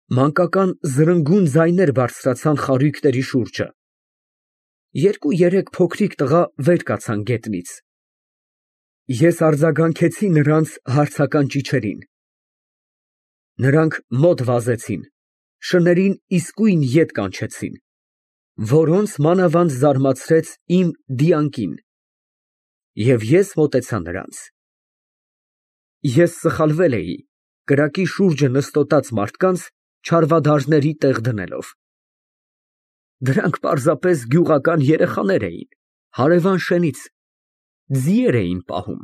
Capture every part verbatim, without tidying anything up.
Մանկական զրնգուն ձայներ բարձրացան խարույկների շուրջը։ Երկու֊երեք փոքրիկ տղա վեր կացան գետնից։ Ես արձագանքեցի նրանց հարցական ճիչերին։ Նրանք մոտ վազեցին, շներին իսկույն ետ կանչեցին, որոնց մանավանդ զարմացրեց իմ դիակին, և ես մոտեցա նրանց։ Ես սխալվել էի, կրակի շուրջը նստոտած մարդկանց չարվադարների տեղ դնելով։ Դրանք պարզապես գյուղական երեխաներ էին, հարևան շենից, ձիեր էին պահում։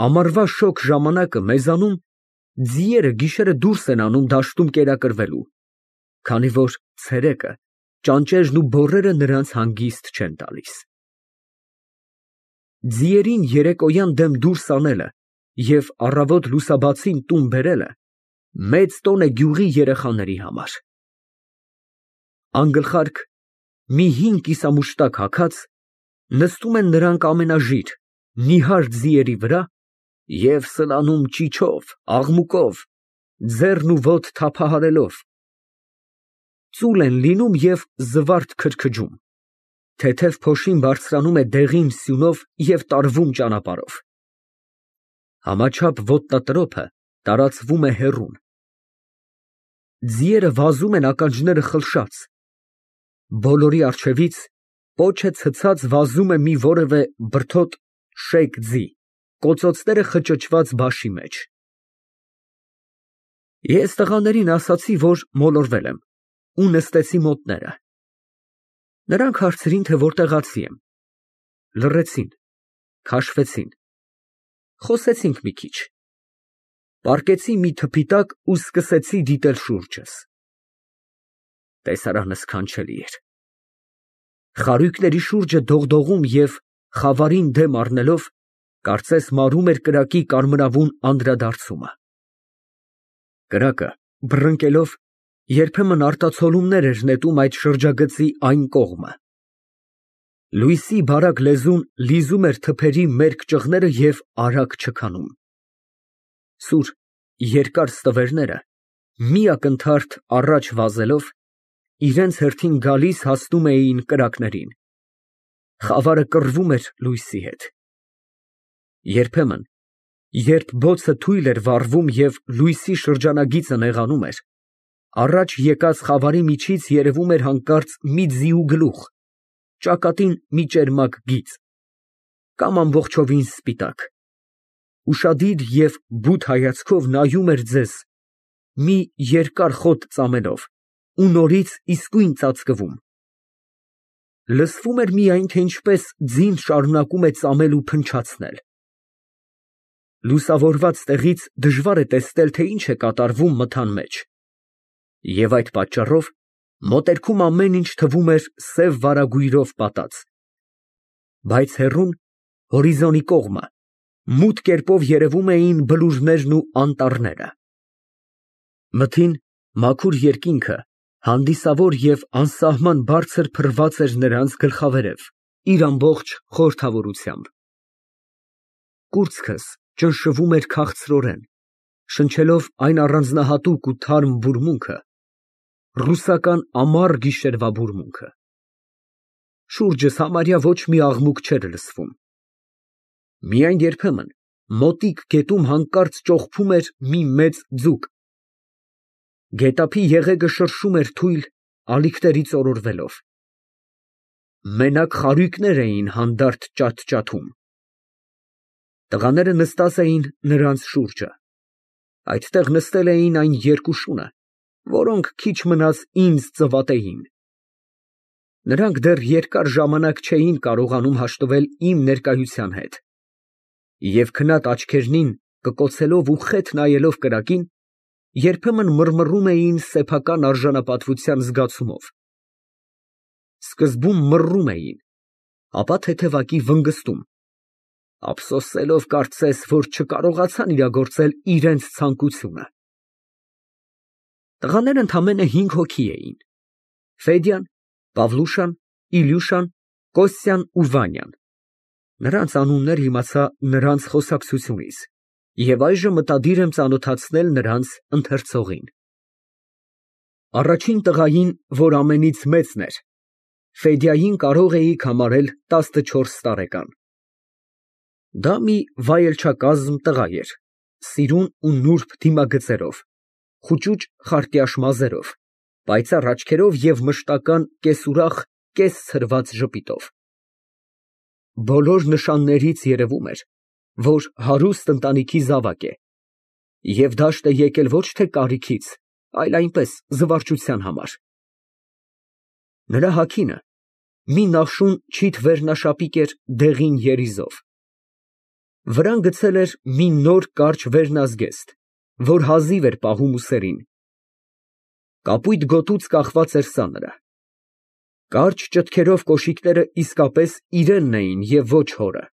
Ամառվա շոգ ժամանակը մեզանում ձիերը գիշերը դուրս են անում դաշտում կերակրվելու, քանի որ ցերեկը ճանճերն ու բոռերը նրանց հանգիստ չեն տալիս։ Ձիերին երեկոյան դեմ դուրս անելը և առավոտ լուսաբացին տուն բերելը մեծ տոն է գյուղի երեխաների համար։ Անգլխարկ, մի հին կիսամուշտակ հագած, նստում են նրանք ամենաժիր, նիհար ձիերի վրա և սլանում ճիչով, աղմուկով, ձեռն ու ոտը թափահարելով, ծուլ են լինում և զվարթ քրքջում, թեթև փոշին բարձրանում է դեղին սյունով և տարվում ճանապարհով։ Համաչափ ոտնատրոփը տարածվում է հեռուն։ Ձիերը վազում են ականջները խլշած, բոլորի առջևից պոչ է ցցած վազում է մի որևէ բրդոտ շեկ ձի, կոծոցները խճճված բաշի մեջ։ Ես տղաներին ասացի, որ մոլորվել եմ, ու նստեցի մոտները։ Նրանք հարցրին, թե որտեղացի եմ, լռեցին, քաշվեցին, խոսեցինք մի քիչ, պառկեցի մի թփի տակ ու սկսեցի դիտել շուրջս։ Տեսարանը սքանչելի էր։ Խարույկների շուրջը դողդողում և խավարին դեմ առնելով, կարծես մարում էր կրակի կարմրավուն անդրադարձումը։ Կրակը, բռնկելով, երբեմն արտացոլումներ էր նետում այդ շրջագծի այն կողմը։ Լույսի բարակ լեզուն լիզում էր թփերի մերկ ճղները և արագ չքանում։ Սուր, երկար ստվերները, մի ակնթարթ առաջ վազելով, իրենց հերթին գալիս հասնում էին կրակներին։ Խավարը կռվում էր լույսի հետ։ Երբեմն, երբ բոցը թույլ էր վառվում և լույսի շրջանագիծը նեղանում էր, առաջ եկած խավարի միջից երևում էր հանկարծ մի ձիու գլուխ, ճակատին մի ճերմակ գիծ, կամ ամբողջովին սպիտակ, ուշադիր և բութ հայացքով նայում էր ձեզ, մի երկար խոտ ծամելով, ու նորից իսկույն ծածկվում։ Լսվում էր միայն, թե ինչպես ձին շարունակում է ծամել ու փնչացնել։ Լուսավորված տեղից դժվար է տեսնել, թե ինչ է կատարվում մթան մեջ, և այդ պատճառով մոտերքում ամեն ինչ թվում էր սև վարագույրով պատած, բայց հեռուն, հորիզոնի կողմը, մութ կերպով երևում էին բլուրներն ու անտառները։ Մթին մաքուր երկինքը հանդիսավոր և անսահման բարձր փռված էր նրանց գլխավերև, իր ամբողջ խորհրդավորությամբ։ Կուրծքս ճնշվում էր քաղցրորեն, շնչելով այն առանձնահատուկ ու թարմ բուրմունքը, ռուսական ամառ գիշերվա բուրմունքը։ Շուրջս համարյա ոչ մի աղմուկ չէր լսվում։ Միայն երբեմն մոտիկ գետում հանկարծ ճոխփում էր մի մեծ ձուկ։ Գետափի եղեգը շրշում էր թույլ, ալիքներից օրորվելով։ Մենակ խարույկներ էին հանդարտ ճաթճաթում։ Տղաները նստած էին նրանց շուրջը։ Այդտեղ նստել էին այն երկու շունը, որոնք քիչ մնաց ինձ ծվատեին։ Նրանք դեռ երկար ժամանակ չէին կարողանում հաշտվել իմ ներկայության հետ, և քնած աչքերնին կկոցելով ու խեթ նայելով կրակին, երբեմն մռմռում էին սեփական արժանապատվության զգացումով։ Սկզբում մռռում էին, ապա թեթևակի վնգստում, ափսոսելով կարծես, որ չկարողացան իրագործել իրենց ցանկությունը։ Տղաները ընդամենը հինգ հոգի էին. Ֆեդյան, Պավլուշան, Իլյուշան, Կոստյան ու Վանյան։ Նրանց անուններն իմացա նրանց խոսակցությունից, և այժմ մտադիր եմ ծանոթացնել նրանց ընթերցողին։ Առաջին տղային, որ ամենից մեծն էր, Ֆեդյային կարող էիք համարել տասնչորս տարեկան։ Դա մի վայելչակազմ տղա էր, սիրուն ու նուրբ դիմագծերով, խուճուճ խարտյաշ մազերով, պայծառ աչքերով և մշտական կես֊ուրախ, կես֊ցրված ժպիտով։ Բոլոր նշաններից երևում էր, որ հարուստ ընտանիքի զավակ է, և դաշտ է եկել ոչ թե կարիքից, այլ այնպես զվարճության համար։ Նրա հագինը մի նախշուն չիթ վերնաշապիկ էր դեղին երիզով, վրան գցել էր մի նոր կարճ վերնազգեստ, որ հազիվ էր պահում ուսերին, կապույտ գոտուց կախված էր սանրը, կարճ ճտքերով կոշիկները իսկապես իրենն էին և ոչ հորը։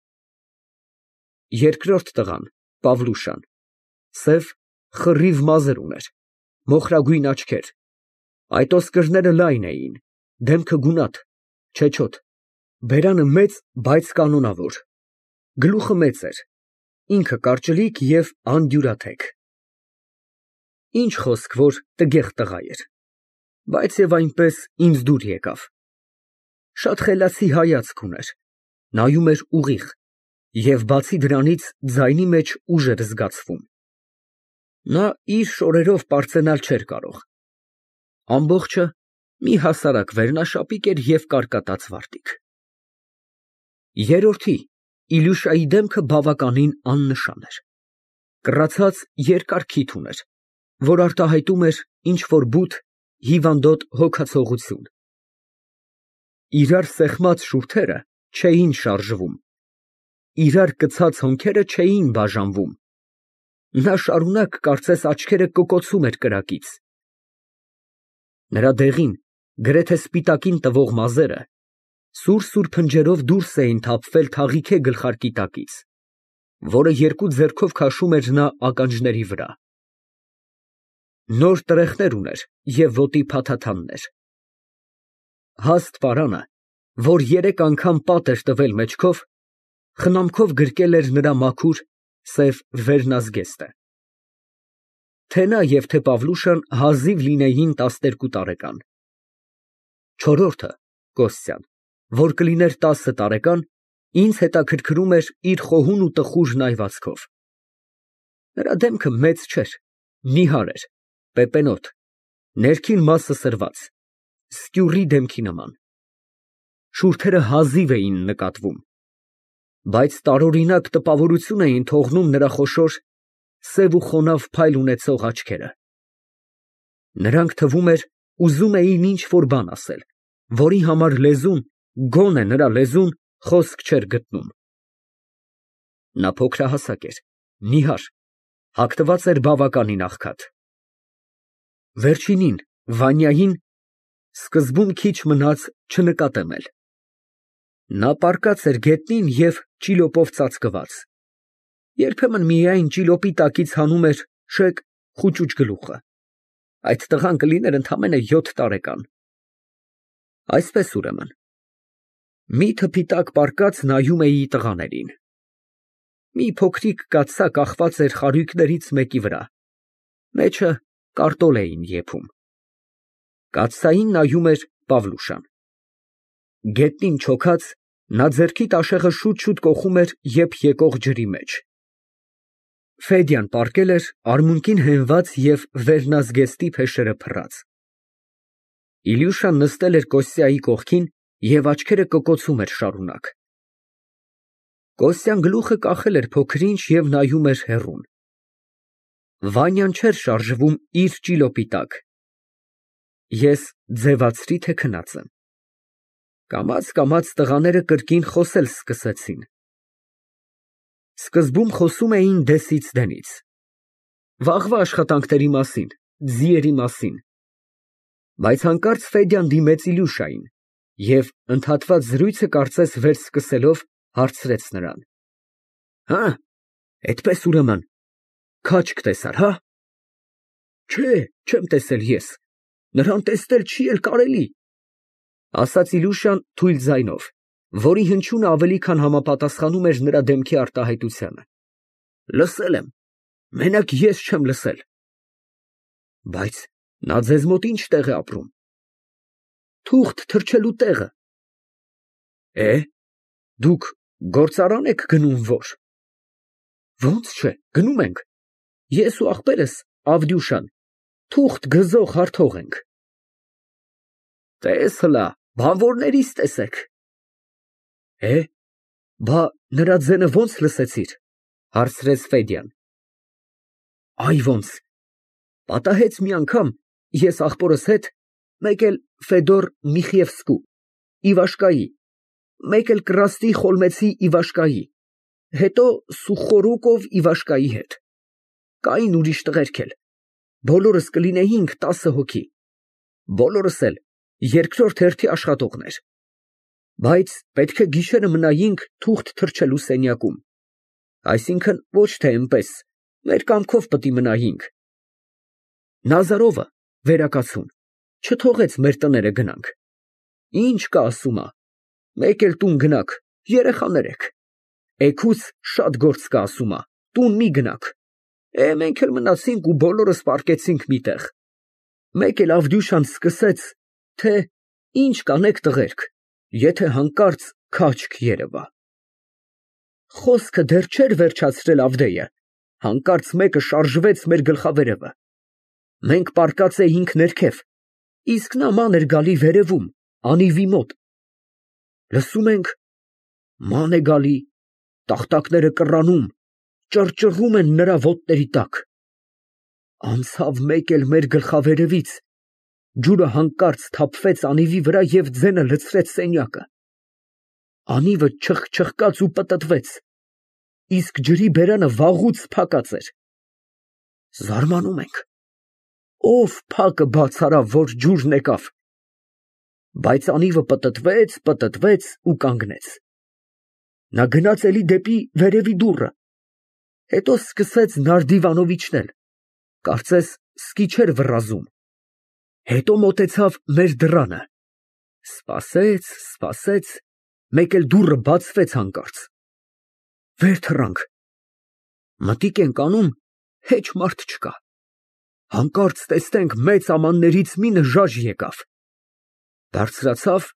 Երկրորդ տղան, Պավլուշան, սև խռիվ մազեր ուներ, մոխրագույն աչքեր, այտոսկրները լայն էին, դեմքը գունատ, չեչոտ, բերանը մեծ, բայց կանոնավոր, գլուխը մեծ էր, ինքը կարճլիկ և անդյուրաթեք։ Ինչ խոսք, որ տգեղ տղա էր, բայց և այնպես ինձ դուր եկավ, շատ խելացի հայացք ուներ, նայում էր ուղիղ և բացի դրանից ձայնի մեջ ուժ էր զգացվում։ Նա իր շորերով պարծենալ չէր կարող, ամբողջը մի հասարակ վերնաշապիկ էր և կարկատած վարտիք։ Երրորդի, Իլյուշայի դեմքը բավականին աննշան էր, կռացած երկար քիթ ուներ, որ արտահայտում էր ինչ֊որ բութ, հիվանդոտ հոգացողություն։ Իրար սեղմած շուրթերը չէին շարժվում, իրար կցած հոնքերը չէին բաժանվում, նա շարունակ կարծես աչքերը կկոցում էր կրակից։ Նրա դեղին, գրեթե սպիտակին տվող մազերը սուր֊սուր փնջերով դուրս էին թափվել թաղիքե գլխարկի տակից, որը երկու ձեռքով քաշում էր նա ականջների վրա։ Նոր տրեխներ ուներ և ոտի փաթաթաններ։ Հաստ պարանը, որ երեք անգամ պատ էր տվել մեջքով, խնամքով գրկել էր նրա մաքուր, սև վերնազգեստը։ Թե նա և թե Պավլուշան հազիվ լինեին տասներկու տարեկան։ Չորրորդը, Կոստյան, որ կլիներ տասը տարեկան, ինձ հետաքրքրում էր իր խոհուն ու տխուր նայվածքով։ Նրա դեմքը մեծ չէր, նիհար էր, պեպենոտ, ներքին մասը սրված, սկյուռի դեմքի նման։ Շուրթերը հազիվ էին նկատվում, բայց տարօրինակ տպավորություն էին թողնում նրա խոշոր, սև ու խոնավ փայլ ունեցող աչքերը։ Նրանք, թվում էր, ուզում էին ինչ֊որ բան ասել, որի համար լեզուն, գոնե նրա լեզուն, խոսք չէր գտնում։ Նա փոքրահասակ էր, նիհար, հագնված էր բավականին աղքատ։ Վերջինին, Վանյային, սկզբում քիչ մնաց չնկատեմ էլ։ Նա պառկած էր գետնին և ճիլոպով ծածկված, երբեմն միայն ճիլոպի տակից հանում էր շեկ խուճուճ գլուխը, այդ տղան կլիներ ընդամենը յոթ տարեկան։ Այսպես, ուրեմն, մի թփի տակ պառկած նայում էի տղաներին։ Մի փոքրիկ կաթսա կախված էր խարույկներից մեկի վրա, մեջը կարտոլ էին եփում։ Կաթսային նայում էր Պավլուշան։ Գետնին չոքած, նա ձեռքի տաշեղը շուտ֊շուտ կոխում էր եփ եկող ջրի մեջ։ Ֆեդյան պառկել էր արմունկին հենված և վերնազգեստի փեշերը փռած։ Իլյուշան նստել էր Կոստյայի կողքին և աչքերը կկոցում էր շարունակ։ Կոստյան գլուխը կախել էր փոքր֊ինչ և նայում էր հեռուն։ Վանյան չէր շարժվում իր ճիլոպի տակ։ Ես ձևացրի, թե քնած եմ։ Կամաց֊կամաց տղաները կրկին խոսել սկսեցին։ Սկզբում խոսում էին դեսից դենից, վաղվա աշխատանքների մասին, ձիերի մասին, բայց հանկարծ Ֆեդյան դիմեց Իլյուշային և, ընդհատված զրույցը կարծես վերսկսելով, հարցրեց նրան. Հը՞, էդպես, ուրեմն, քաջ կտեսար, հա։ Չէ, չեմ տեսել ես, նրան տեսնել չի էլ կարելի, ասաց Իլյուշան թույլ ձայնով, որի հնչյունը ավելի քան համապատասխանում էր նրա դեմքի արտահայտությանը։ Լսել եմ, մենակ ես չեմ լսել։ Բայց Նա ձեզ մոտ ինչ տեղ է ապրում։ Թուղթ թրջելու տեղը։ Է, դուք գործարան եք գնում, որ։ Ոնց չէ, գնում ենք։ Ես ու ախպերս Ավդյուշան թուղթ գզող հարթող ենք։ Տես հլա, բանվորներիս տեսեք։ Է, բա նրա ձենը ոնց լսեցիր, հարցրեց Ֆեդյան։ Այ ոնց, պատահեց մի անգամ, ես ախպորս հետ, մեկ էլ Ֆեդոր Միխիևսկու, Իվաշկայի, մեկ էլ Կրաստի Խոլմեցի Իվաշկայի, հետո Սուխորուկով Իվաշկայի հետ, կային ուրիշ տղերք էլ, բոլորս կլինեինք տասը հոգի, բոլորս էլ երկրորդ հերթի աշխատողներ, բայց պետք է գիշերը մնայինք թուղթ թրջելու սենյակում, այսինքն ոչ թե էնպես, մեր կամքով պիտի մնայինք։ Նազարովը, վերակացուն, չթողեց մեր տները գնանք։ Ինչ կա ասումա, մեկ էլ տուն գնաք, երեխաներ եք, էգուց շատ գործ կա ասումա, տուն մի գնաք, է մենք էլ մնացինք ու բոլորս պառկեցինք մի տեղ։ Մեկ էլ Ավդյուշան սկսեց, թե ինչ կանեք տղերք, եթե հանկարծ քաչք երևա։ Խոսքը դեռ չէր վերջացրել Ավդեյը, հանկարծ մեկը շարժվեց մեր գլխավերևը։ Մենք պառկած էինք ներքև, իսկ նա ման էր գալի վերևում, անիվի մոտ։ Լսում ենք, ման է գալի, տախտակները կռանում, ճռճռում են նրա ոտների տակ։ Անցավ մեկ էլ մեր գլխավերևից, ջուրը հանկարծ թափվեց անիվի վրա և ձենը լցրեց սենյակը։ Անիվը չխչխկաց ու պտտվեց, իսկ ջրի բերանը վաղուց փակած էր։ Զարմանում ենք, ով փակը բաց արավ, որ ջուրն եկավ։ Բայց անիվը պտտվեց, պտտվեց ու կանգնեց։ Նա գնաց էլի դեպի վերևի դուռը, հետո սկսեց նարդիվանով իջնել, կարծես սկի չէր վռազում, հետո մոտեցավ մեր դռանը, սպասեց, սպասեց, մեկ էլ դուռը բացվեց հանկարծ։ Վեր թռանք, մտիկ ենք անում, հեչ մարդ չկա։ Հանկարծ տեսնենք մեծ ամաններից մի նժաժ եկավ, բարձրացավ,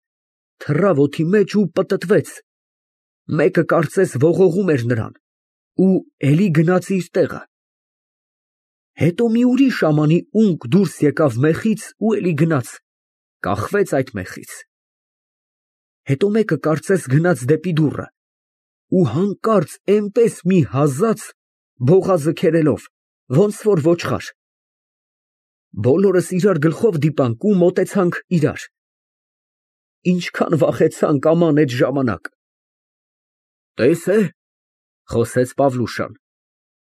թռավ օդի մեջ ու պտտվեց, մեկը կարծես ողողում էր նրան ու էլի գնաց իր տեղը։ Հետո մի ուրիշ ամանի ունկ դուրս եկավ մեխից ու էլի գնաց, կախվեց այդ մեխից։ Հետո մեկը կարծես գնաց դեպի դուռը ու հանկարծ էնպես մի հազաց բողազը քերելով, ոնց որ ոչխար։ Բոլորս իրար գլխով դիպանք ու մոտեցանք իրար։ Ինչքան վախեցանք աման այդ ժամանակ։ Տես է, խոսեց Պավլուշան,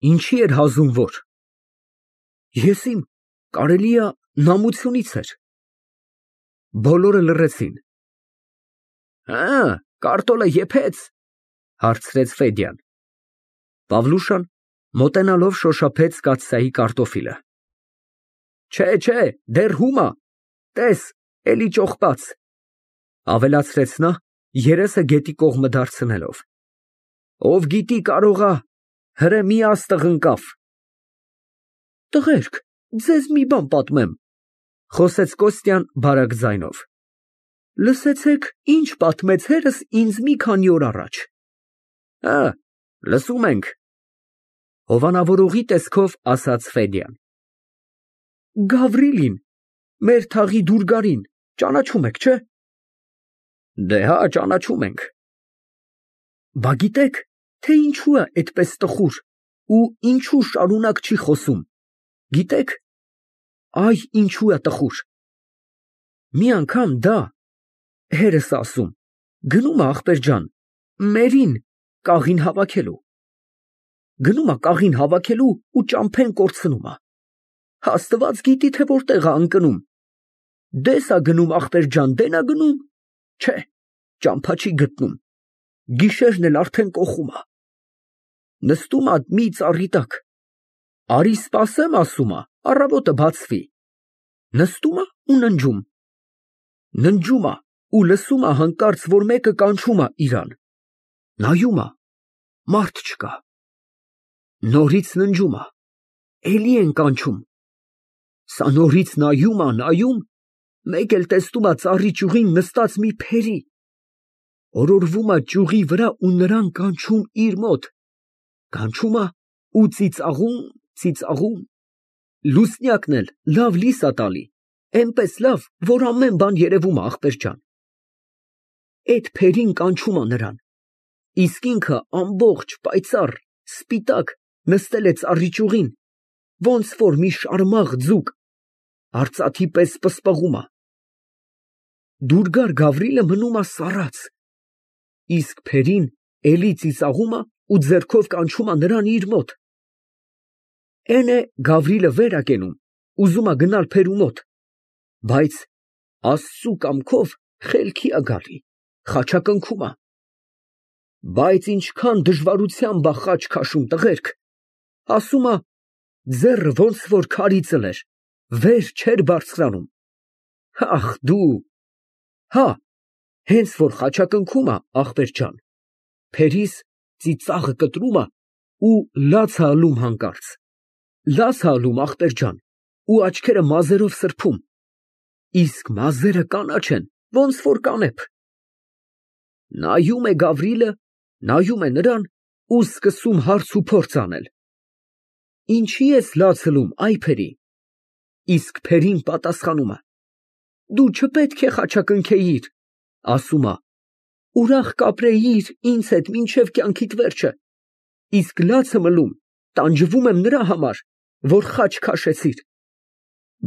ինչի էր հազում որ։ Եսիմ, կարելի է նամությունից էր։ Բոլորը լռեցին։ Հա, կարտոլը եփեց, հարցրեց Ֆեդյան։ Պավլուշան մոտենալով շոշափեց կաթսայի կարտոֆիլը։ Չէ, չէ, դեռ հումա, տես, էլի ճոխպած, ավելացրեց նա, երեսը գետի կողմը դարձնելով։ Ով գիտի կարողա, հրե մի աստղ ընկավ։ Տղերք, ձեզ մի բան պատմեմ, խոսեց Կոստյան բարակ ձայնով։ Լսեցեք, ինչ պատմեց հերս ինձ մի քանի օր առաջ։ Հա, լսում ենք, հովանավորողի տեսքով ասաց Ֆեդյան։ Գավրիլին, մեր թաղի դուրգարին, ճանաչում եք, չէ։ Դե հա, ճանաչում ենք։ Բա գիտեք, թե ինչու է այդպես տխուր ու ինչու շարունակ չի խոսում։ Գիտեք, այ ինչու է տխուր։ Մի անգամ դա, հերս ասում, գնում է ախպեր ջան, մերին կաղին հավաքելու։ Գնում է կաղին հավաքելու ու ճամփեն կորցնում է։ Աստված գիտի, թե որտեղ է ընկնում։ Դես է գնում ախպեր ջան, դեն է գնում։ Չէ, ճամփա չի գտնում։ Գիշերն էլ արդեն կոխում է։ Նստում է մի ծառի տակ։ Արի սպասեմ, ասում է, առավոտը բացվի։ Նստում է ու ննջում։ Ննջում է ու լսում է հանկարծ, որ մեկը կանչում է իրան։ Նայում է, մարդ չկա։ Նորից ննջում է, էլի են կանչում։ Սա նորից նայում ա, նայում, մեկ էլ տեսնում ա ծառի ճյուղին նստած մի փերի, օրորվում ա ճյուղի վրա ու նրան կանչում իր մոտ, կանչում ա ու ծիծաղում, ծիծաղում, լուսնյակն էլ լավ լիս ա տալի, էնպես լավ, որ ամեն բան երևում ա, ախպեր ջան։ Էդ փերին կանչում ա նրան, իսկ ինքը ամբողջ պայծառ, սպիտակ, նստել է ծառի ճյուղին, ոնց որ մի շարմաղ ձուկ, արծաթի պես պսպղում ա։ Դուրգար Գավրիլը մնում ա սառած, իսկ փերին էլի ծիծաղում ա ու ձեռքով կանչում ա նրան իր մոտ։ Էն է Գավրիլը վեր ա կենում, ուզում ա գնալ փերու մոտ, բայց Աստծու կամքով խելքի ա գալի, խաչակնքում ա։ Բայց ինչքան դժվարությամբ ա խաչ քաշում, տղերք, ասում ա ձեռը ոնց որ քարի ծլեր, վեր չէր բարձրանում։ Ախ դու, հա, հենց որ խաչակնքում ա, ախպեր ջան, փերիս ծիծաղը կտրում ա ու լաց ա ալում հանկարծ, լաց ա ալում, ախպեր ջան, ու աչքերը մազերով սրբում, իսկ մազերը կանաչ են, ոնց որ կանեփ։ Նայում է Գավրիլը, նայում է նրան ու սկսում հարց ու փորձ անել. Ինչի ես լաց ըլում, այ փերի։ Իսկ փերին պատասխանում է. դու չպետք է խաչակնքեիր, ասում ա, ուրախ կապրեիր ինձ հետ մինչև կյանքիդ վերջը, իսկ լացը մլում, տանջվում եմ նրա համար, որ խաչ քաշեցիր,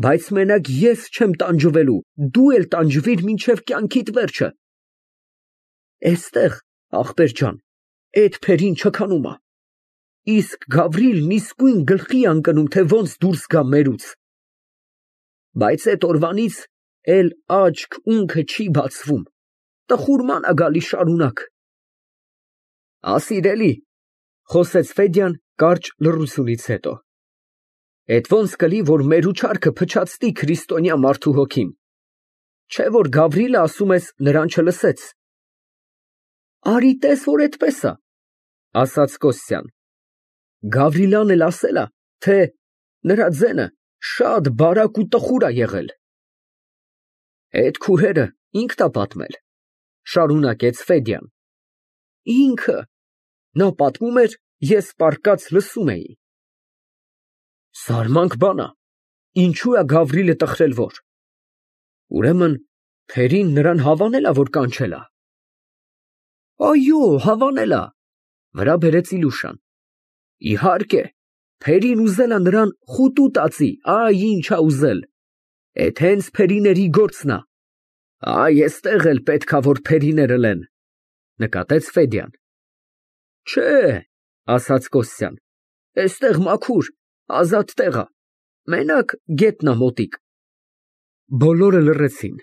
բայց մենակ ես չեմ տանջվելու, դու էլ տանջվիր մինչև կյանքիդ վերջը։ Էստեղ, ախպեր ջան, էդ փերին չքանում ա, իսկ Գավրիլն իսկույն գլխի է ընկնում, թե ոնց դուրս գա մերուց։ Բայց էդ օրվանից էլ աչք ունքը չի բացվում, տխուրման ա գալի շարունակ։ Ասիրելի, խոսեց Ֆեդյան կարճ լռությունից հետո, էդ ոնց կլի, որ մերու չարքը փչացնի քրիստոնյա մարդու հոգին, չէ որ Գավրիլը, ասում ես, նրան չլսեց։ Արի տես, որ էդպես ա, ասաց Կոստյան։ Գավրիլան էլ ասել ա, թե նրա ձենը շատ բարակ ու տխուր ա եղել։ Էդ քուհերը ինքն ա պատմել, շարունակեց Ֆեդյան։ Ինքը, նա պատմում էր, ես պառկած լսում էի։ Զարմանք բան ա, ինչու ա Գավրիլը տխրել որ։ Ուրեմն փերին նրան հավանել ա, որ կանչել ա։ Այո, հավանել ա, վրա բերեց Իլուշան։ Իհարկե, փերին ուզել ա նրան խուտու տածի, այ ինչ ա ուզել, էդ հենց փերիների գործն ա։ Այ էստեղ էլ պետք ա որ փերիները լեն, նկատեց Ֆեդյան։ Չէ, ասաց Կոստյան, էստեղ մաքուր, ազատ տեղ ա, մենակ գետնա մոտիկ։ Բոլորը լռեցին։